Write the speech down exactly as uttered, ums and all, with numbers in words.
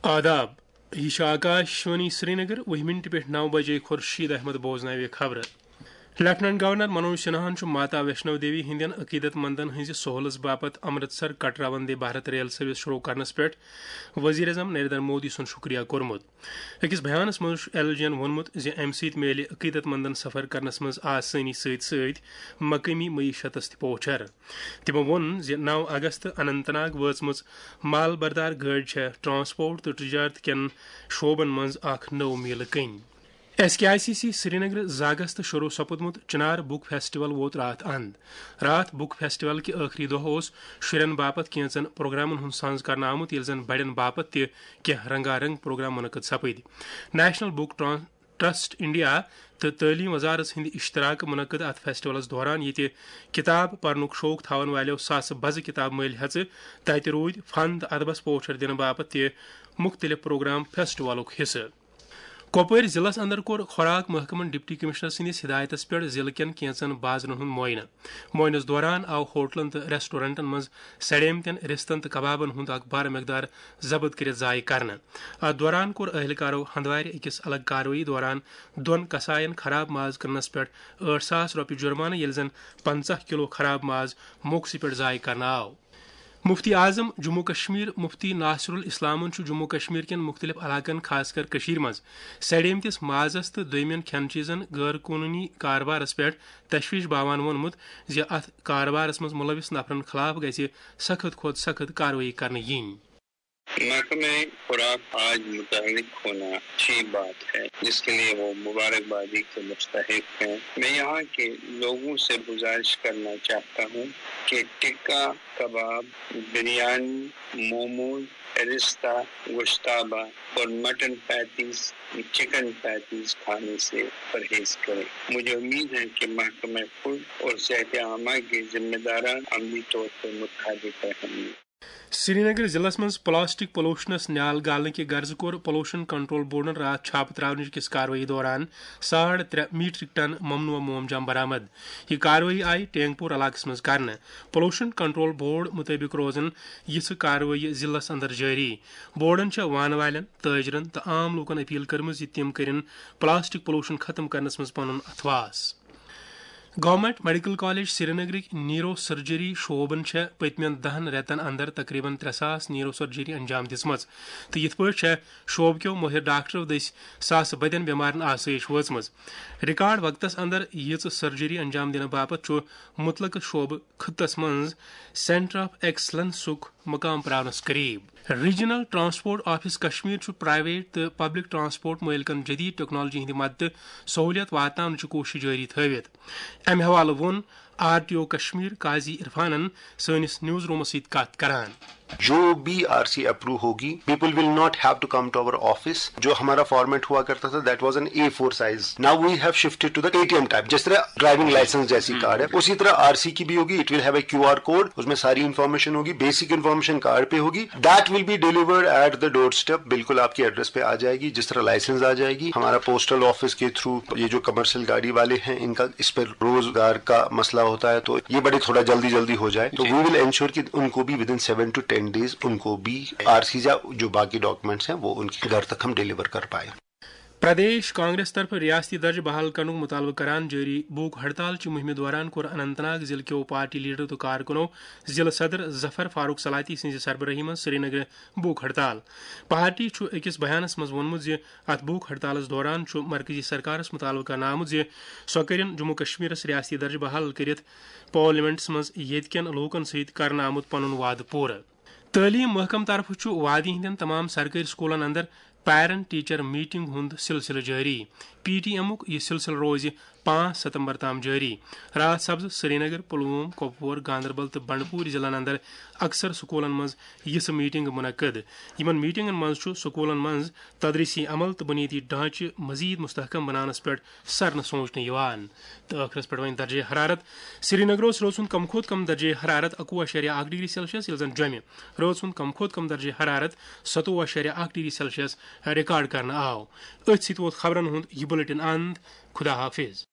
آداب۔ یہِ چھُ آکاش وانی سرینگر۔ وُہہِ منٹہِ پٮ۪ٹھ نَو بجے خورشید احمد بوزناوِ خبرٕ۔ لیفٹیننٹ گورنر منوج سنہاہن چھُ ماتا ویشنو دیوی ہٕنٛدٮ۪ن عقیدت مندن ہٕنٛزِ سہولژ باپتھ امرتسر کٹرا وندے بھارت ریل سروس شروع کرنس پٮ۪ٹھ وزیر اعظم نریندر مودی سُنٛد شُکریہ کوٚرمُت۔ أکِس بیانس منٛز چھُ ایل جی ین ووٚنمُت زِ امہِ سۭتۍ میلہِ عقیدت مندن سفر کرنس منٛز آسٲنی سۭتۍ سۭتۍ مقٲمی معیشتس تہِ پوچھر۔ تِمو ووٚن زِ نَو اگست اننت ناگ وٲژمٕژ مال بردار گٲڑۍ چھےٚ ٹرانسپورٹ تہٕ تجارت کٮ۪ن شعبن منٛز اکھ نٔو میٖلہٕ کٔنۍ۔ S K I C C Srinagar زٕ اگست شروع سپُدمُت چنار بُک فیسٹیول ووت راتھ اند۔ راتھ بُک فیسٹیول کہِ ٲخری دۄہ اوس شُرٮ۪ن باپتھ کینٛژن پروگرامن ہُنٛد سنز کرنہٕ آمُت، ییٚلہِ زن بڑٮ۪ن باپتھ تہِ کینٛہہ رنگا رنگ پروگرام منعقد سپٕدۍ۔ نیشنل بُک ٹران-، ٹرسٹ انڈیا تہٕ تعلیٖم وزارت ہٕنٛدِ اشتراکہٕ منعقد اتھ فیسٹیولس دوران، ییٚتہِ کتاب پرنُک شوق تھاون والٮ۪و ساسہٕ بزٕ کتاب مٔلۍ ہٮ۪ژٕ، تتہِ روٗدۍ فن تہٕ ادبس پوچھر دِنہٕ باپتھ تہِ مُختٔلِف پروگرام فیسٹیولُک حصہٕ۔ کۄپوٲرۍ ضلعس اندر کوٚر خوراک محکمن ڈپٹی کمشنر سٕنٛدِس ہدایتس پٮ۪ٹھ ضلعہٕ کٮ۪ن کینٛژن بازرن ہُنٛد معائنہٕ۔ معائنس دوران آو ہوٹلن تہٕ ریسٹورنٹن منٛز سڑیمتٮ۪ن رستن تہٕ کبابن ہُنٛد اکھ بڑٕ مقدار ضبط کٔرِتھ ضایع کرنہٕ۔ اتھ دوران کوٚر اہلکارو ہندوارِ أکِس الگ کاروٲیی دوران دۄن کساین خراب ماز کٕننس پٮ۪ٹھ ٲٹھ ساس رۄپیہِ جرمانہٕ، ییٚلہِ زن پنژاہ کلو خراب ماز موقعسٕے پٮ۪ٹھ ضایع کرنہٕ آو۔ مفتی اعظم جموں کشمیر مفتی ناصر الاسلامن چھُ جموں کشمیر کٮ۪ن مختلف علاقن، خاص کر کٔشیٖرِ منٛز سڑیمتِس مازس تہٕ دوٚیمٮ۪ن کھٮ۪ن چیٖزن غٲر قونوٗنی کاربارس پٮ۪ٹھ تشویش باوان ووٚنمُت زِ اتھ کاربارس منٛز ملوث نفرن خلاف گژھِ سخت کھۄتہٕ سخت کاروٲیی کرنہٕ یِنۍ۔ محکمہ خوراک آج متحرک ہونا اچھی بات ہے، جس کے لیے وہ مبارکبادی کے مستحق ہیں۔ میں یہاں کے لوگوں سے گزارش کرنا چاہتا ہوں کہ ٹکا کباب، بریانی، موموز، رستہ، گوشتابہ اور مٹن پیٹیز، چکن پیٹیز کھانے سے پرہیز کریں۔ مجھے امید ہے کہ محکمہ فوڈ اور صحت عامہ کے ذمہ داران عملی طور پر متحرک رہیں گے۔ سرینگر ضلعس منٛز پلاسٹک پولوشنس نیال گالنہٕ کہِ غرضہٕ کوٚر پولوشن کنٹرول بورڈن راتھ چھاپہٕ تراونٕچ کِس کاروٲیی دوران ساڑ ترٛےٚ میٹرک ٹن ممنوع موم جام برآمد۔ یہِ کاروٲیی آیہِ ٹینگ پور علاقس منٛز کرنہٕ۔ پولوشن کنٹرول بورڈ مُطٲبِق روزن یِژھٕ کاروٲیی ضلعس اندر جٲری۔ بورڈن چھےٚ وانہٕ والٮ۪ن، تٲجرن تہٕ عام لوٗکن اپیل کٔرمٕژ زِ تِم کٔرِن پلاسٹک پولوشن ختم کرنس منٛز پنُن اتھواس۔ گورنمنٹ میڈیکل کالج سرینگرٕکۍ نیورو سرجری شعبن چھےٚ پٔتمٮ۪ن دَہن رٮ۪تن اندر تقریباً ترٛےٚ ساس نیورو سرجری انجام دِژمٕژ، تہٕ یِتھ پٲٹھۍ چھےٚ شعبہٕ کیو مٲہِر ڈاکٹرو دٔسۍ ساسہٕ بٔدٮ۪ن بٮ۪مارن آسٲیِش وٲژمٕژ۔ ریکارڈ وقتس اندر ییٖژٕ سرجری انجام دِنہٕ باپتھ چھُ مُتلقہٕ شعبہٕ خطس منٛز سینٹر آف ایکسلنسُک مقام پراونس قریب۔ ریجنل ٹرانسپورٹ آفس کشمیر چھُ پرائیویٹ تہٕ پبلک ٹرانسپورٹ مٲلکن جدید ٹیکنالوجی ہٕنٛدِ مدتہٕ سہولیت واتناونٕچہِ کوٗشش جٲری تھٲوِتھ۔ امہِ حوالہٕ ووٚن آر ٹی او کشمیر قاضی عرفانن سٲنِس نیوز رومس سۭتۍ کتھ کران۔ جو بھی آر سی اپروو ہوگی، people will not have to come to our office. جو ہمارا فارمیٹ ہوا کرتا تھا, that was an A four size. Now we have shifted to the A T M type. جس طرح ڈرائیونگ لائسنس جیسی card ہے, اسی طرح آر سی کی بھی ہوگی. It will have a Q R code, اس میں ساری انفارمیشن ہوگی, بیسک انفارمیشن کارڈ پہ ہوگی. That will be delivered at the doorstep. بالکل آپ کے ایڈریس پہ آ جائے گی, جس طرح لائسنس آ جائے گی. ہمارا پوسٹل آفس کے تھرو یہ جو کمرشل گاڑی والے ہیں, ان کا اس پر روزگار کا مسئلہ ہوتا ہے, تو یہ بڑے تھوڑا جلدی جلدی ہو جائے, تو we will ensure کہ ان کو بھی within seven to ten days ان کو بھی آر سیز یا جو باقی ڈاکومنٹس ہیں, وہ ان کے گھر تک ہم ڈیلیور کر پائیں. پردیش کانگریس طرفہٕ ریاستی درجہٕ بحال کرنُک مطالبہٕ کران جٲری بھوک ہڑتال چہِ مُہِمہِ دوران کوٚر اننت ناگ ضلعہٕ کیو پارٹی لیڈرو تہٕ کارکُنو ضلعہٕ صدر ظفر فاروق سلاتی سٕنٛزِ سربرٲہی منٛز سرینگرٕ بھوک ہڑتال۔ پارٹی چھُ أکِس بیانس منٛز ووٚنمُت زِ اتھ بھوک ہڑتالس دوران چھُ مرکزی سرکارس مطالبہٕ کرنہٕ آمُت زِ سۄ کٔرِن جموں کشمیرس ریاستی درجہٕ بحال کٔرِتھ پارلیمنٹس منٛز ییٚتہِ کٮ۪ن لوٗکن سۭتۍ کرنہٕ آمُت پنُن وعدٕ پوٗرٕ۔ تعلیٖم محکمہٕ طرفہٕ چھُ وادی ہٕنٛدٮ۪ن تمام سرکٲرۍ سکوٗلن اندر پیرنٹ ٹیچر میٹنگ ہُنٛد سلسلہٕ جٲری۔ پی ٹی ایمُک یہِ سلسلہٕ روزِ پانٛژھ ستمبر تام جٲری۔ راج سبز، سرینگر، پلووم، کۄپوور، گاندربل تہٕ بنڈپور ضلعن اندر اکثر سکوٗلن منٛز یِژھٕ میٹنگ منعقد۔ یِمن میٹنگن منٛز چھُ سکوٗلن منٛز تدریسی عمل تہٕ بنیٲدی ڈھانچہٕ مزید مستحکم بناونس پٮ۪ٹھ سرنہٕ سوچنہٕ یِوان۔ تہٕ ٲخرس پٮ۪ٹھ وۄنۍ درجہ حرارت۔ سرینگرس روز ہُنٛد کم کھۄتہٕ کم درجہ حرارت اَکوُہ اَشاریہ اَکھ ڈگری سیلسیس، ییٚلہِ زن جوٚمہِ روز ہُنٛد کم کھۄتہٕ کم درجہ حرارت ستوُہ اَشاریہ اَکھ ڈگری سیلسیس ریکارڈ کرنہٕ آو۔ أتھۍ سۭتۍ ووت خبرن ہُنٛد یہِ بلیٹن اند۔ خدا حافظ۔